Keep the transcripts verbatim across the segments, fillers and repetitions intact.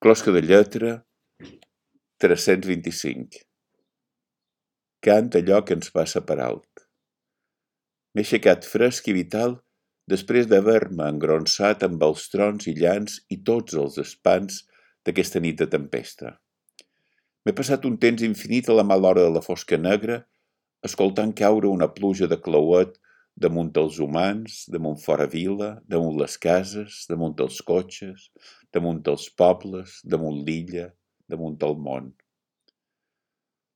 Closca de lletra, tres-cents vint-i-cinc. Cant allò que ens passa per alt. M'he aixecat fresc i vital després d'haver-me engronsat amb els trons i llans i tots els espants d'aquesta nit de tempesta. M'he passat un temps infinit a la mala hora de la fosca negra, escoltant caure una pluja de clauet damunt els humans, damunt fora vila, damunt les cases, damunt els cotxes, damunt els pobles, damunt l'illa, damunt el món.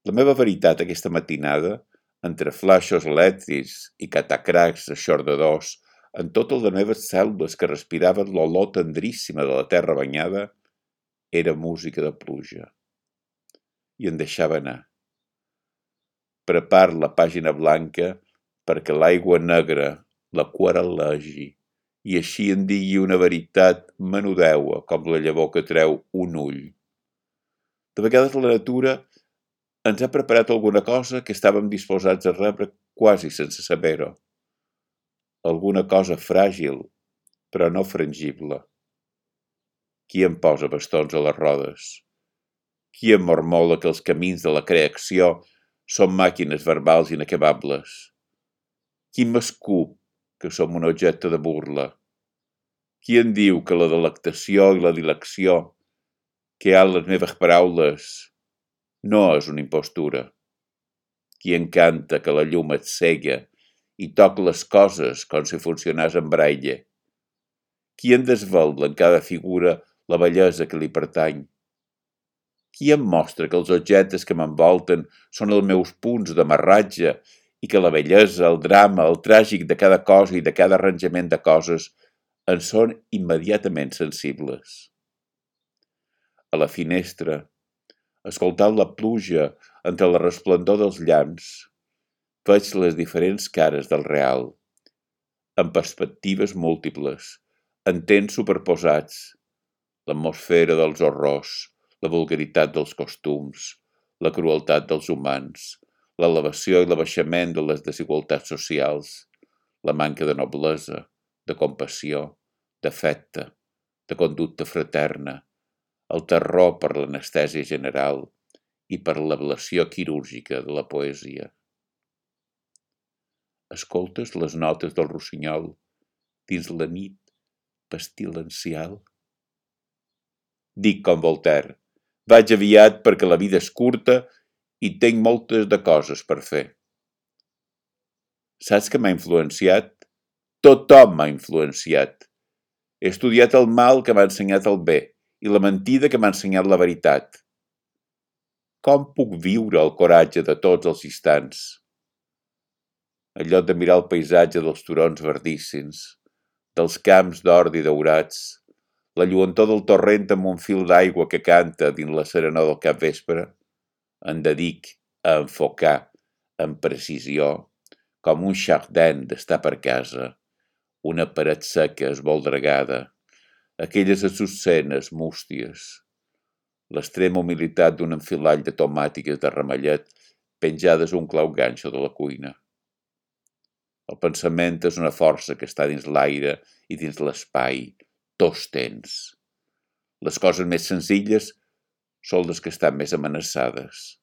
La meva veritat aquesta matinada, entre flaixos elèctrics i catacracs aixordadors, en totes les meves cèl·lules que respiraven l'olor tendríssima de la terra banyada, era música de pluja. I em deixava anar. Prepar la pàgina blanca perquè l'aigua negra l'aquarel·legi i així en digui una veritat menudeua com la llavor que treu un ull. De vegades la natura ens ha preparat alguna cosa que estàvem disposats a rebre quasi sense saber-ho. Alguna cosa fràgil, però no frangible. Qui em posa bastons a les rodes? Qui em mormola que els camins de la creació són màquines verbals inacabables? Qui m'escup que som un objecte de burla? Qui em diu que la delectació i la dilecció que hi ha en les meves paraules no és una impostura? Qui encanta que la llum et cega i toc les coses com si funcionés en braille? Qui em desvela en cada figura la bellesa que li pertany? Qui em mostra que els objectes que m'envolten són els meus punts d'amarratge i que la bellesa, el drama, el tràgic de cada cosa i de cada arranjament de coses en són immediatament sensibles? A la finestra, escoltant la pluja entre la resplendor dels llamps, veig les diferents cares del real, en perspectives múltiples, en temps superposats, l'atmosfera dels horrors, la vulgaritat dels costums, la crueltat dels humans, l'elevació i l'abaixament de les desigualtats socials, la manca de noblesa, de compassió, d'afecte, de conducta fraterna, el terror per l'anestèsia general i per l'ablació quirúrgica de la poesia. Escoltes les notes del rossinyol dins la nit pestilencial? Dic com Voltaire, vaig aviat perquè la vida és curta i tinc moltes de coses per fer. Saps què m'ha influenciat? Tothom m'ha influenciat. He estudiat el mal que m'ha ensenyat el bé i la mentida que m'ha ensenyat la veritat. Com puc viure el coratge de tots els instants? En lloc de mirar el paisatge dels turons verdíssims, dels camps d'ordi daurats, la lluentor del torrent amb un fil d'aigua que canta dins la serenor del capvespre, em dedic a enfocar amb precisió, com un jardin d'estar per casa, una paret seca esvoldregada, aquelles açucenes músties, l'extrema humilitat d'un enfilall de tomàtiques de ramellet penjades a un clau ganxo de la cuina. El pensament és una força que està dins l'aire i dins l'espai, tots tens. Les coses més senzilles són les que estan més amenaçades.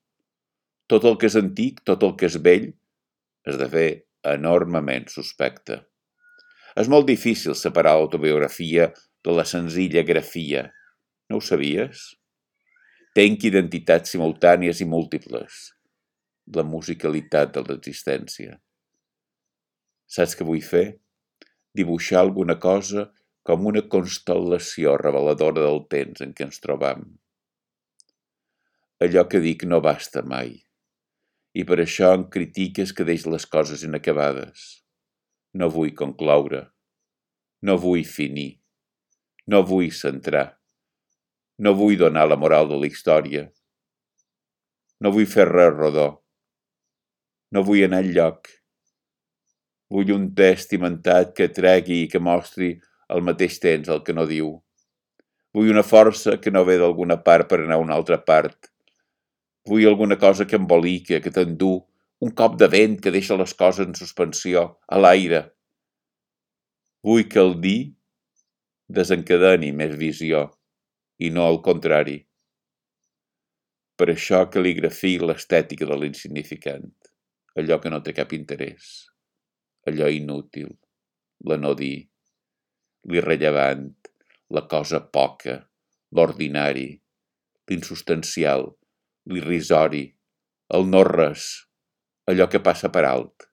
Tot el que és antic, tot el que és vell, esdevé enormement suspecte. És molt difícil separar l'autobiografia de la senzilla grafia. No ho sabies? Tenc identitats simultànies i múltiples. La musicalitat de l'existència. Saps què vull fer? Dibuixar alguna cosa com una constel·lació reveladora del temps en què ens trobam. Allò que dic no basta mai, i per això em critiques que deix les coses inacabades. No vull concloure, no vull finir, no vull centrar, no vull donar la moral de la història, no vull fer res rodó, no vull anar enlloc. Vull un text imentat que tregui i que mostri al mateix temps el que no diu. Vull una força que no ve d'alguna part per anar a una altra part. Vull alguna cosa que embolica, que t'endú, un cop de vent que deixa les coses en suspensió, a l'aire. Vull que el dir desencadeni més visió. i no al contrari. Per això cal·ligrafia l'estètica de l'insignificant, allò que no té cap interès, allò inútil, l'anodí, l'irrellevant, la cosa poca, l'ordinari, l'insubstancial, l'irrisori, el no-res, allò que passa per alt.